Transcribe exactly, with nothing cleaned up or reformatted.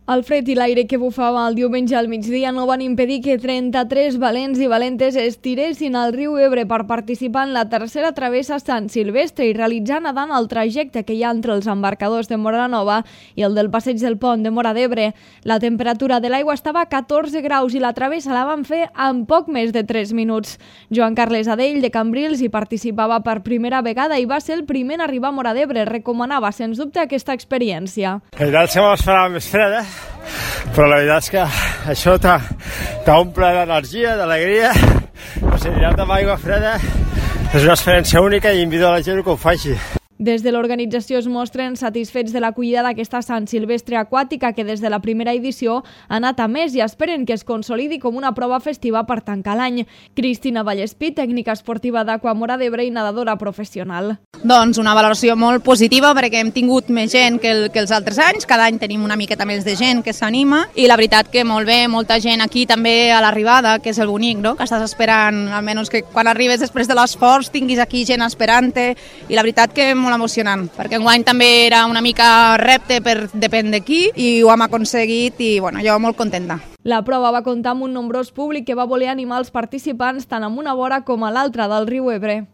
El fred i l'aire que bufava el diumenge al migdia no van impedir que trenta-tres valents i valentes es tiressin al riu Ebre per participar en la tercera travessa Sant Silvestre i realitzar nedant el trajecte que hi ha entre els embarcadors de Móra la Nova i el del passeig del pont de Móra d'Ebre. La temperatura de l'aigua estava a catorze graus i la travessa la van fer en poc més de tres minuts. Joan Carles Adell, de Cambrils, hi participava per primera vegada i va ser el primer a arribar a Móra d'Ebre. Recomanava, sens dubte, aquesta experiència. El veritat se m'esperava més freda, però la veritat és que això t'omple d'energia, d'alegria. O sigui, anar amb aigua freda és una experiència única i invito a la gent que ho faci. Des de l'organització es mostren satisfets de l'acollida d'aquesta Sant Silvestre aquàtica que des de la primera edició ha anat a més i esperen que es consolidi com una prova festiva per tancar l'any. Cristina Vallespí, tècnica esportiva d'Aqua Móra d'Ebre i nedadora professional. Doncs una valoració molt positiva perquè hem tingut més gent que, el, que els altres anys, cada any tenim una miqueta més de gent que s'anima i la veritat que molt bé, molta gent aquí també a l'arribada, que és el bonic, no? Que estàs esperant, almenys que quan arribes després de l'esforç tinguis aquí gent esperant-te i la veritat que molt emocionant, perquè enguany també era una mica repte per depèn de qui i ho hem aconseguit i bueno, jo molt contenta. La prova va comptar amb un nombrós públic que va voler animar els participants tant amb una vora com a l'altra del riu Ebre.